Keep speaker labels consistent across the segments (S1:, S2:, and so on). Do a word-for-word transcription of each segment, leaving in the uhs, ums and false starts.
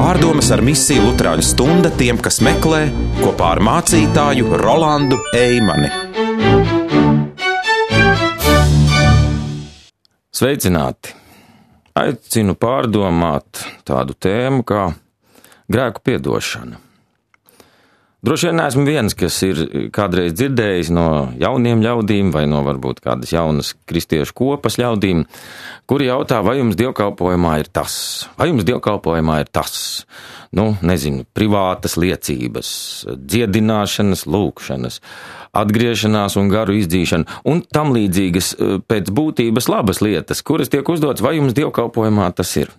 S1: Pārdomas ar misiju Luterāņu stunda tiem, kas meklē, kopā ar mācītāju Rolandu Eimani.
S2: Sveicināti! Aicinu pārdomāt tādu tēmu kā grēku piedošana. Droši vien neesmu viens, kas ir kādreiz dzirdējis no jauniem ļaudīm vai no varbūt kādas jaunas kristiešu kopas ļaudīm, kuri jautā, vai jums dievkalpojumā ir tas, vai jums dievkalpojumā ir tas, nu, nezinu, privātas liecības, dziedināšanas, lūkšanas, atgriešanās un garu izdzīšana un tam līdzīgas pēc būtības labas lietas, kuras tiek uzdotas, vai jums dievkalpojumā tas ir.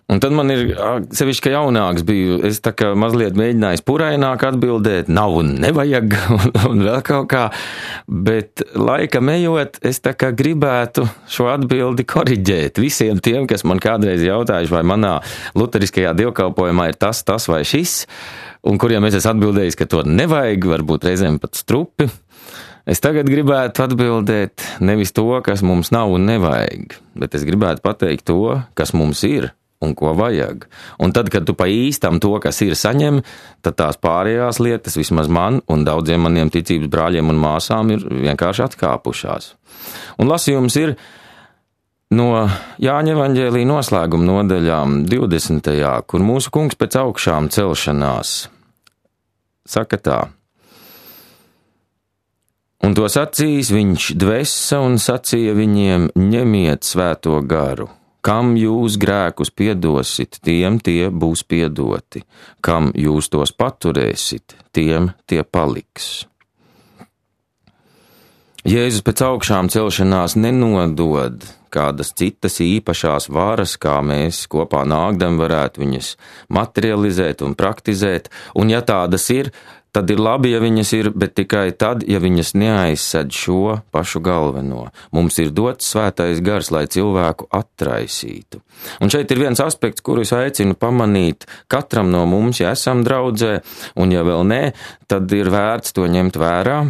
S2: Un tad man ir, sevišķi, ka jaunāks biju, es tā kā mazliet mēģinājis puraināk atbildēt, nav un nevajag, un, un vēl kaut kā, bet laikam ejot, es tā kā gribētu šo atbildi koriģēt visiem tiem, kas man kādreiz jautājuši, vai manā luteriskajā dievkalpojumā ir tas, tas vai šis, un kuriem es esmu atbildējis, ka to nevajag, varbūt reizēm pat strupi. Es tagad gribētu atbildēt nevis to, kas mums nav un nevajag, bet es gribētu pateikt to, kas mums ir un ko vajag. Un tad, kad tu pa īstam to, kas ir, saņem, tad tās pārējās lietas vismaz man un daudziem maniem ticības brāļiem un māsām ir vienkārši atkāpušās. Un lasījums ir no Jāņa evaņģēlija noslēguma nodaļām divdesmitajā, kur mūsu kungs pēc augšām celšanās saka tā. Un to sacījis viņš dvesa un sacīja viņiem, ņemiet svēto garu. Kam jūs grēkus piedosit, tiem tie būs piedoti. Kam jūs tos paturēsit, tiem tie paliks. Jēzus pēc augšām celšanās nenodod kādas citas īpašās varas, kā mēs kopā nākdam varētu viņas materializēt un praktizēt, un ja tādas ir, tad ir labi, ja viņas ir, bet tikai tad, ja viņas neaizsēd šo pašu galveno. Mums ir dots svētais gars, lai cilvēku atraisītu. Un šeit ir viens aspekts, kuru es aicinu pamanīt katram no mums, ja esam draudzē, un ja vēl nē, tad ir vērts to ņemt vērā.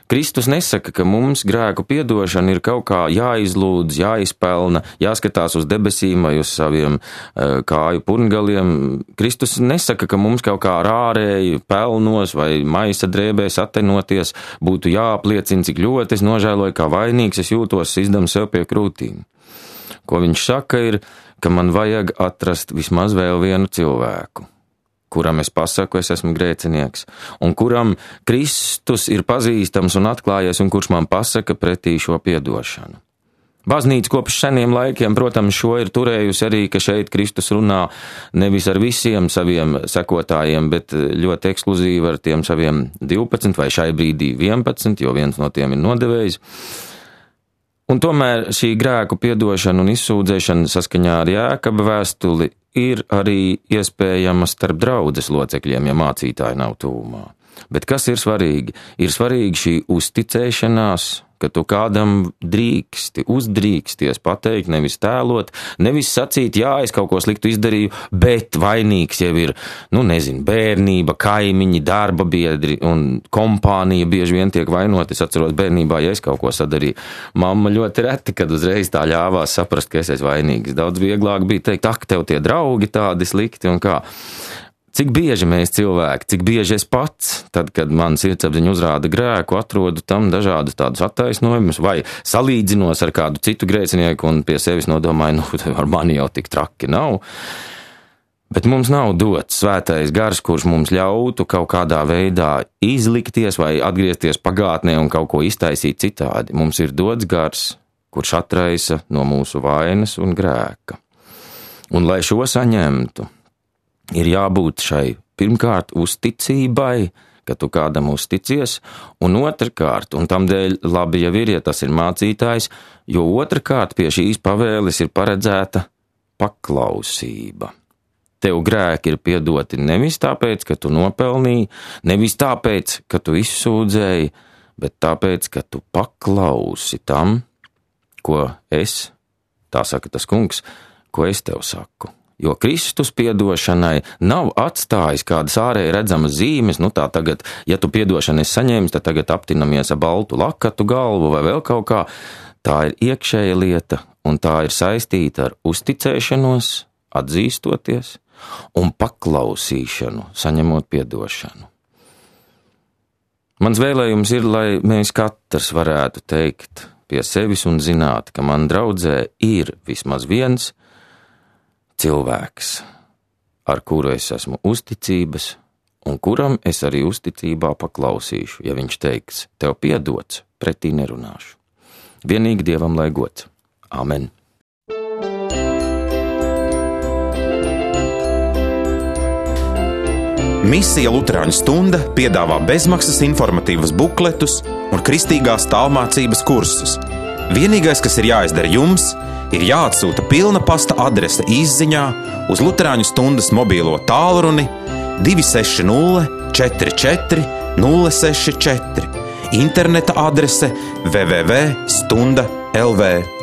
S2: Kristus nesaka, ka mums grēku piedošana ir kaut kā jāizlūdz, jāizpelna, jāskatās uz debesīm vai uz saviem uh, kāju purngaliem. Kristus nesaka, ka mums kaut kā ar ārēju pelnos vai maisa drēbēs atenoties būtu jāapliecina, cik ļoti es nožēloju, kā vainīgs es jūtos, izdam sev pie krūtīm. Ko viņš saka ir, ka man vajag atrast vismaz vēl vienu cilvēku, kuram es pasaku, es esmu grēcinieks, un kuram Kristus ir pazīstams un atklājies, un kurš man pasaka pretī šo piedošanu. Baznīca kopš seniem laikiem, protams, šo ir turējusi arī, ka šeit Kristus runā nevis ar visiem saviem sekotājiem, bet ļoti ekskluzīvi ar tiem saviem divpadsmit vai šai brīdī vienpadsmit, jo viens no tiem ir nodevējis. Un tomēr šī grēku piedošana un izsūdzēšana saskaņā ar Jēkaba vēstuli ir arī iespējama starp draudzes locekļiem, ja mācītāji nav tuvumā. Bet kas ir svarīgi? Ir svarīgi šī uzticēšanās, ka tu kādam drīksti, uzdrīksties pateikt, nevis tēlot, nevis sacīt, jā, es kaut ko sliktu izdarīju, bet vainīgs jau ir, nu nezinu, bērnība, kaimiņi, darba biedri un kompānija bieži vien tiek vainot. Es atceros bērnībā, ja es kaut ko sadarīju. Mamma ļoti reti, kad uzreiz tā ļāvās saprast, ka es esmu vainīgs. Daudz vieglāk bija teikt, ak, tev tie draugi tādi slikti un kā. Cik bieži mēs cilvēki, cik bieži es pats, tad, kad man sirdsapziņa uzrāda grēku, atrodu tam dažādus tādus attaisnojumus vai salīdzinos ar kādu citu grēcinieku un pie sevis nodomāju, nu, ar mani jau tik traki nav. Bet mums nav dots svētais gars, kurš mums ļautu kaut kādā veidā izlikties vai atgriezties pagātnē un kaut ko iztaisīt citādi. Mums ir dots gars, kurš atraisa no mūsu vainas un grēka. Un lai šo saņemtu, ir jābūt šai pirmkārt uzticībai, ka tu kādam uzticies, un otrkārt, un tam dēļ labi jau ir, ja tas ir mācītājs, jo otrkārt pie šīs pavēles ir paredzēta paklausība. Tev grēki ir piedoti nevis tāpēc, ka tu nopelnīji, nevis tāpēc, ka tu izsūdzēji, bet tāpēc, ka tu paklausi tam, ko es, tā saka tas kungs, ko es tev saku. Jo Kristus piedošanai nav atstājis kādas ārēji redzamas zīmes, nu tā tagad, ja tu piedošanu esi saņēmis, tad tagad aptinamies ar baltu lakatu galvu vai vēl kaut kā. Tā ir iekšēja lieta, un tā ir saistīta ar uzticēšanos, atzīstoties, un paklausīšanu, saņemot piedošanu. Mans vēlējums ir, lai mēs katrs varētu teikt pie sevis un zināt, ka man draudzē ir vismaz viens cilvēks, ar kuru es esmu uzticības, un kuram es arī uzticībā paklausīšu, ja viņš teiks, tev piedots, pretī nerunāšu. Vienīgi Dievam lai gods. Amen.
S1: Misija Luterāņu stunda piedāvā bezmaksas informatīvus bukletus un kristīgās tālmācības kursus. Vienīgais, kas ir jāizdara jums, ir jāatsūta pilna pasta adrese izziņā uz Luterāņu stundas mobīlo tālruni divi seši nulle četri četri nulle seši četri, interneta adrese w w w punkt stunda punkt l v.